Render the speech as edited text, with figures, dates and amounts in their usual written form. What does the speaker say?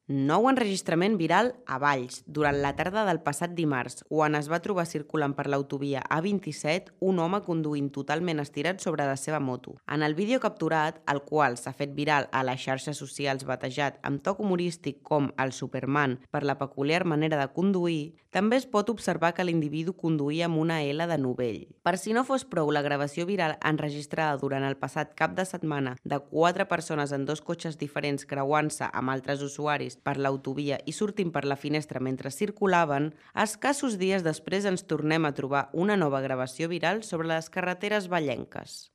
Nou enregistrament viral a Valls durant la tarda del passat dimarts, quan es va trobar circulant per l'autovia A27 un home conduint totalment estirat sobre la seva moto. En el vídeo capturat, el qual s'ha fet viral a les xarxes socials batejat amb toc humorístic com el Superman per la peculiar manera de conduir, també es pot observar que l'individu conduïa amb una L de novell. Per si no fos prou, la gravació viral enregistrada durant el passat cap de setmana de 4 persones en 2 cotxes diferents creuant-se amb altres usuaris per l'autovia i sortint per la finestra mentre circulaven, escassos dies després ens tornem a trobar una nova gravació viral sobre les carreteres vallenques.